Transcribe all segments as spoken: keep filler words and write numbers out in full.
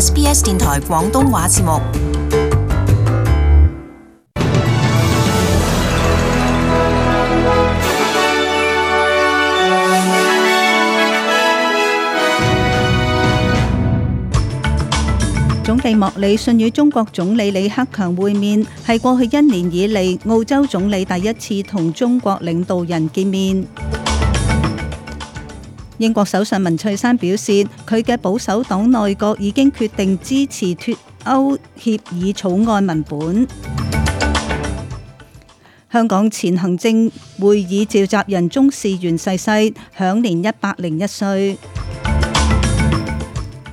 S B S 電台廣東話節目。總理莫里遜與中國總理李克強會面，係過去一年以嚟澳洲總理第一次同中國領導人見面。英國首相文翠珊表示，佢嘅保守黨內閣已經決定支持脫歐協議草案文本。香港前行政會議召集人鍾士元逝世，享年一百零一歲。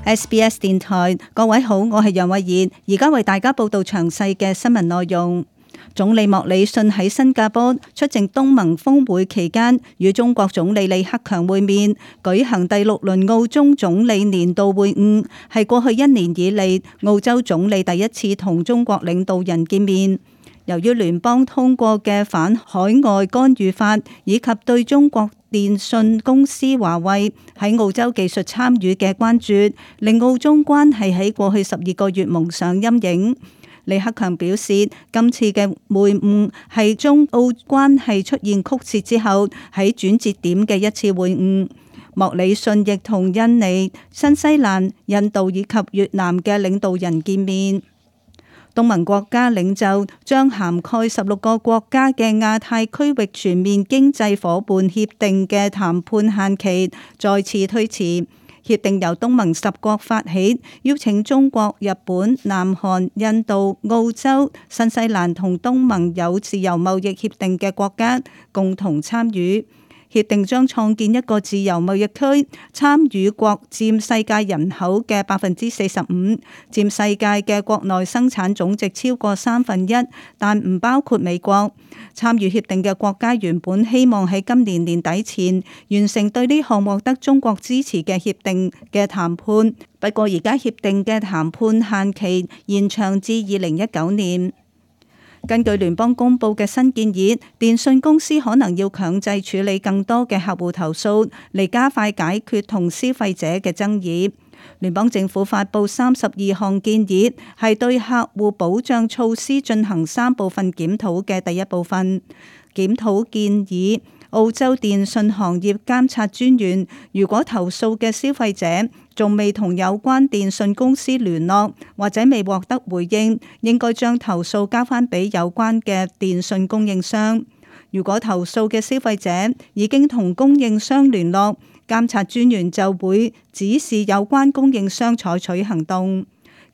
S B S 電台，各位好，我係楊慧妍，而家為大家報道詳細嘅新聞內容。總理莫里遜喺新加坡出席東盟峰會期間，與中國總理李克強會面，舉行第六輪澳中總理年度會晤，係過去一年以嚟澳洲總理第一次同中國領導人見面。由於聯邦通過嘅反海外干預法，以及對中國電信公司華為喺澳洲技術參與嘅關注，令澳中關係喺過去十二個月蒙上陰影。李克強表示，今次嘅會晤係中澳關係出現曲折之後喺轉折點嘅一次會晤。莫里遜亦同印尼、新西蘭、印度以及越南嘅領導人見面。東盟國家領袖將涵蓋十六個國家嘅亞太區域全面經濟夥伴協定嘅談判限期再次推遲。協定由東盟十國發起，邀請中國、日本、南韓、印度、澳洲、新西蘭同東盟有自由貿易協定嘅國家共同參與。協定將創建一個自由貿易區，參與國佔世界人口嘅百分之四十五，佔世界嘅國內生產總值超過三分一，但唔包括美國。參與協定嘅國家原本希望喺今年年底前完成對呢項獲得中國支持嘅協定嘅談判，不過而家協定嘅談判限期延長至二零一九年。根據聯邦公佈嘅新建議，電信公司可能要強制處理更多嘅客戶投訴，嚟加快解決同消費者嘅爭議。聯邦政府發布三十二項建議，係對客戶保障措施進行三部分檢討嘅第一部分。檢討建議，澳洲電信行業監察專員如果投訴嘅消費者仲未同有關電信公司聯絡，或者未獲得回應，應該將投訴交翻俾有關嘅電信供應商。如果投訴嘅消費者已經同供應商聯絡，監察專員就會指示有關供應商採取行動。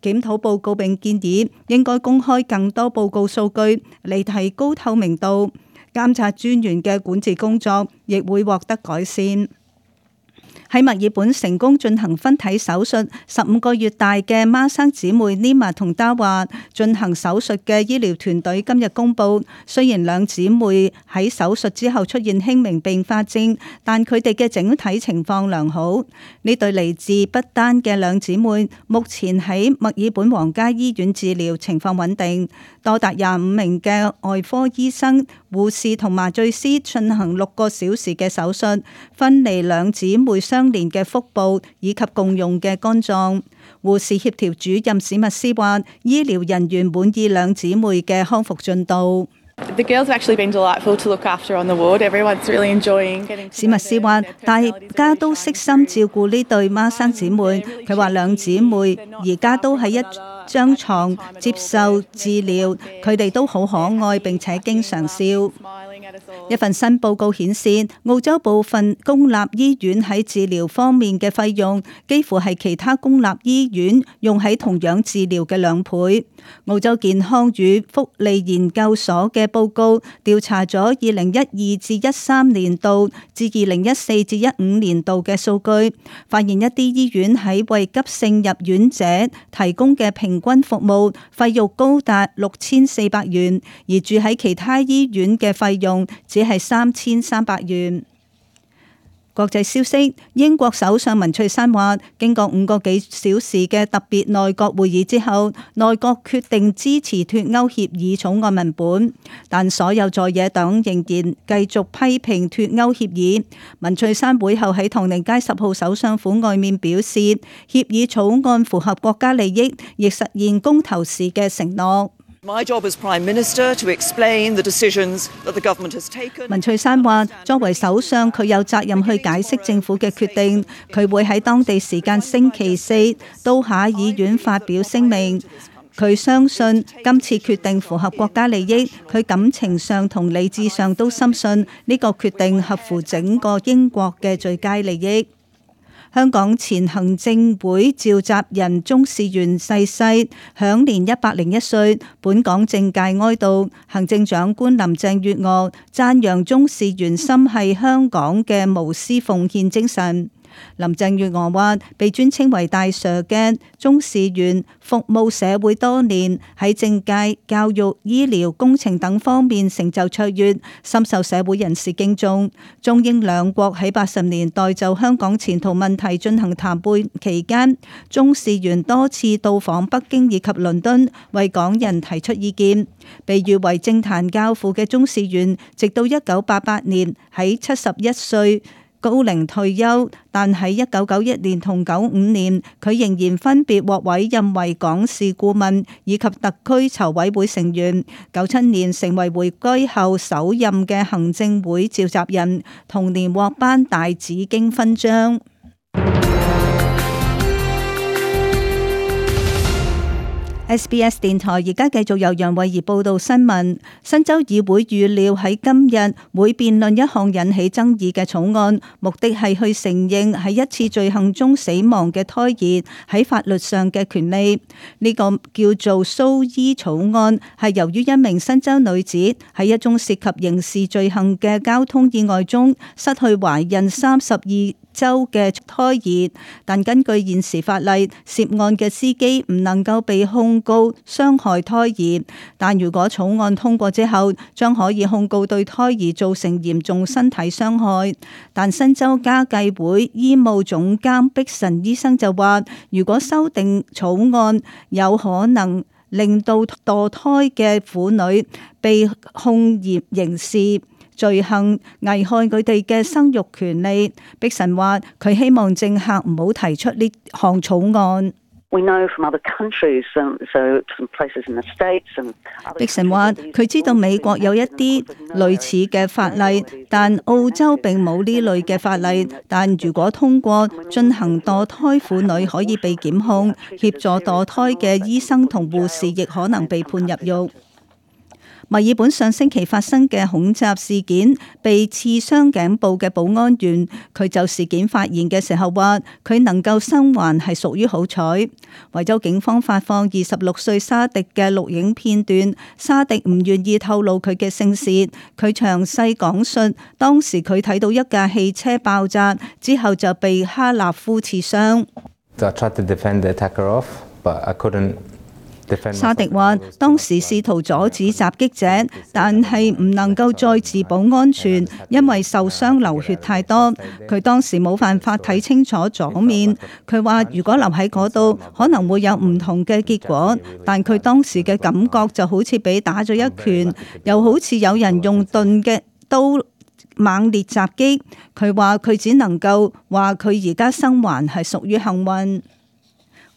檢討報告並建議應該公開更多報告數據嚟提高透明度。監察專員嘅管治工作亦會獲得改善。喺墨爾本成功進行分體手術，十五個月大嘅孖生姊妹 Nima 同 Dawa 進行手術嘅醫療團隊今日公佈，雖然兩姊妹喺手術之後出現輕微併發症，但佢哋嘅整體情況良好。呢對嚟自不丹嘅兩姊妹目前喺墨爾本皇家醫院治療，情況穩定。多達廿五名嘅外科醫生、護士同麻醉師進行六個小時嘅手術，分離兩姊妹相連嘅腹部以及共用嘅肝臟。護士協調主任史密斯話，醫療人員滿意兩姊妹嘅康復進度。The girls have actually been delightful to look after on the ward. Everyone's really enjoying getting. 史密斯話，大家都悉心照顧呢對孖生姊妹。佢話兩姊妹而家都喺一張床接受治療，佢哋都好可愛並且經常笑。一份新報告顯示，澳洲部分公立醫院喺治療方面嘅費用幾乎係其他公立醫院用喺同樣治療嘅兩倍。澳洲健康與福利研究所嘅報告調查咗二零一二至一三年度至二零一四至一五年度嘅數據，發現一啲醫院喺為急性入院者提供嘅平均服務費用高達六千四百元，而住喺其他醫院嘅費用只係三千三百元。國際消息，英國首相文翠珊話，經過五個幾小時嘅特別內閣會議之後，內閣決定支持脫歐協議草案文本，但所有在野黨仍然繼續批評脫歐協議。文翠珊會後喺唐寧街十號首相府外面表示，協議草案符合國家利益，亦實現公投時嘅承諾。My job as Prime Minister to explain the decisions that the government has taken. 文翠珊話：作為首相，佢有責任去解釋政府嘅決定。佢會喺當地時間星期四到下議院發表聲明。佢相信今次決定符合國家利益，佢感情上同理智上都深信呢個決定合乎整個英國嘅最佳利益。香港前行政會召集人鍾士元逝世，享年一百零一歲。本港政界哀悼，行政長官林鄭月娥讚揚鍾士元心繫香港嘅無私奉獻精神。林鄭月娥話：被尊稱為大 Sir 嘅鍾士元服務社會多年，喺政界、教育、醫療、工程等方面成就卓越，深受社會人士敬重。中英兩國喺八十年代就香港前途問題進行談判期間，鍾士元多次到訪北京以及倫敦，為港人提出意見。被譽為政壇教父嘅鍾士元，直到一九八八年喺七十一歲高齡退休，但喺一九九一年同九五年，佢仍然分別獲委任為港事顧問以及特區籌委會成員。九七年成為回歸後首任嘅行政會召集人，同年獲頒大紫荊勳章。S B S 電台而家繼續由楊慧儀報道新聞。新州議會預料喺今日會辯論一項引起爭議嘅草案，目的係去承認喺一次罪行中死亡嘅胎兒喺法律上嘅權利。呢、這個叫做蘇伊草案，係由於一名新州女子喺一宗涉及刑事罪行嘅交通意外中失去懷孕三十二州嘅胎兒，但根據現時法例，涉案嘅司機唔能夠被控告傷害胎兒。但如果草案通過之後，將可以控告對胎兒造成嚴重身體傷害。但新州家計會醫務總監碧神醫生就話，如果修訂草案有可能令到墮胎嘅婦女被控嚴刑事罪行，危害佢哋嘅生育權利。碧神話佢希望政客唔好提出呢項草案。碧神話佢知道美國有一啲類似嘅法例，但澳洲並冇呢類嘅法例。但如果通過，進行墮胎婦女可以被檢控，協助墮胎嘅醫生同護士亦可能被判入獄。墨爾本上星期發生嘅恐襲事件，被刺傷頸部嘅保安員，佢就事件發言嘅時候話，佢能夠生還係屬於好彩。維州警方發放二十六歲沙迪嘅錄影片段，沙迪唔願意透露佢嘅姓氏。佢詳細講述當時佢睇到一架汽車爆炸之後就被哈納夫刺傷。沙迪話：當時試圖阻止襲擊者，但係唔能夠再自保安全，因為受傷流血太多。佢當時冇辦法睇清楚左面。佢話：如果留喺嗰度，可能會有唔同嘅結果。但佢當時嘅感覺就好似俾打咗一拳，又好似有人用鈍嘅刀猛烈襲擊。佢話：佢只能夠話佢而家生還係屬於幸運。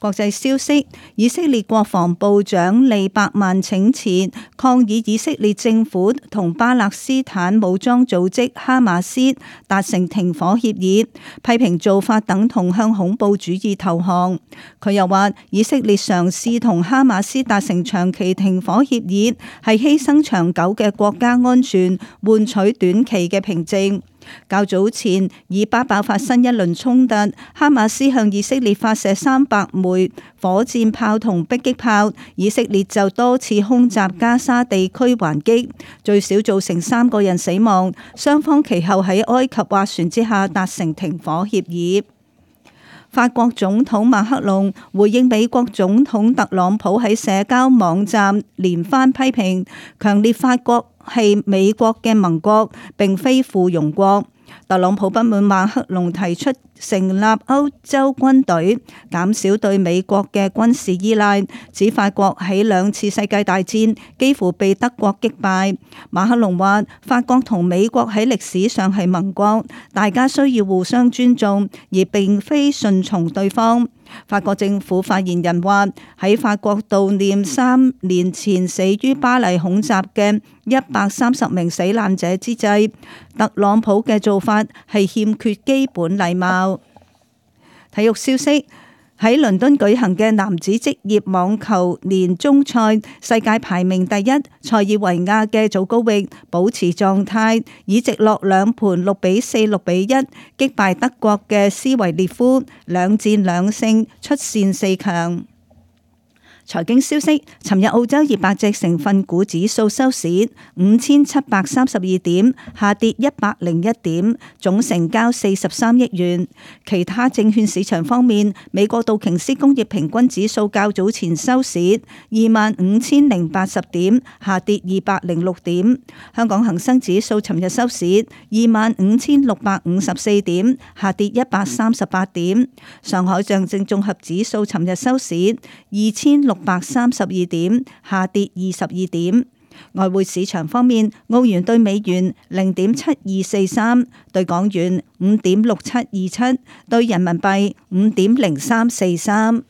國際消息，以色列國防部長利伯曼請辭，抗議以色列政府同巴勒斯坦武裝組織哈馬斯達成停火協議，批評做法等同向恐怖主義投降。佢又話，以色列嘗試同哈馬斯達成長期停火協議，係犧牲長久嘅國家安全，換取短期嘅平靜。較早前，以巴爆發新一輪衝突，哈馬斯向以色列發射三百枚火箭炮同迫擊炮，以色列就多次空襲加沙地區還擊，最少造成三個人死亡。雙方其後喺埃及斡旋之下達成停火協議。法國總統馬克龍回應美國總統特朗普喺社交網站連番批評，強烈法國係美國嘅盟國，並非附庸國。特朗普不滿馬克龍提出成立歐洲軍隊，減少對美國嘅軍事依賴，指法國喺兩次世界大戰幾乎被德國擊敗。馬克龍話：法國同美國喺歷史上係盟國，大家需要互相尊重，而並非順從對方。法國政府發言人話：喺法國悼念三年前死於巴黎恐襲嘅一百三十名死難者之際，特朗普嘅做法係欠缺基本禮貌。體育消息。喺倫敦舉行嘅男子職業網球年終賽，世界排名第一塞爾維亞嘅祖高域保持狀態，以直落兩盤六比四、六比一擊敗德國嘅斯維列夫，兩戰兩勝，出線四強。財經消息，尋日澳洲二百隻成分股指數收市五千七百三十二點，下跌一百零一點，總成交四十三億元。其他證券市場方面，美國道瓊斯工業平均指數較早前收市二萬五千零八十點，下跌二百零六點。香港恒生指數尋日收市二萬五千六百五十四點，下跌一百三十八點。上海上證綜合指數尋日收市二千六百三十二點，下跌二十二點。外匯市場方面，澳元兌美元零點七二四三，兌港元五點六七二七，兌人民幣五點零三四三。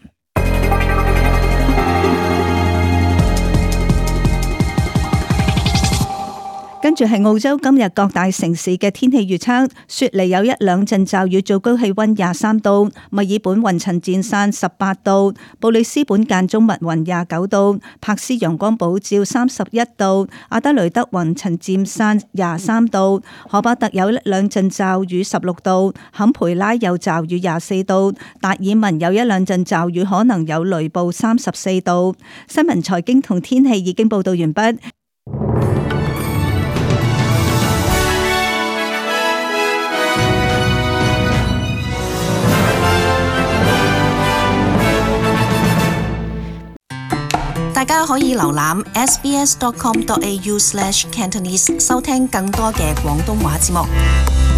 跟住係澳洲今日各大城市嘅天氣預測：雪梨有一兩陣驟雨，最高氣溫廿三度；墨爾本雲層漸散十八度；布里斯本間中密雲廿九度；柏斯陽光普照三十一度；阿德雷德雲層漸散廿三度；荷巴特有一兩陣驟雨十六度；坎培拉有驟雨廿四度；達爾文有一兩陣驟雨，可能有雷暴三十四度。新聞財經同天氣已經報道完畢。大家可以瀏覽 s b s dot com dot a u slash cantonese 收聽更多嘅廣東話節目。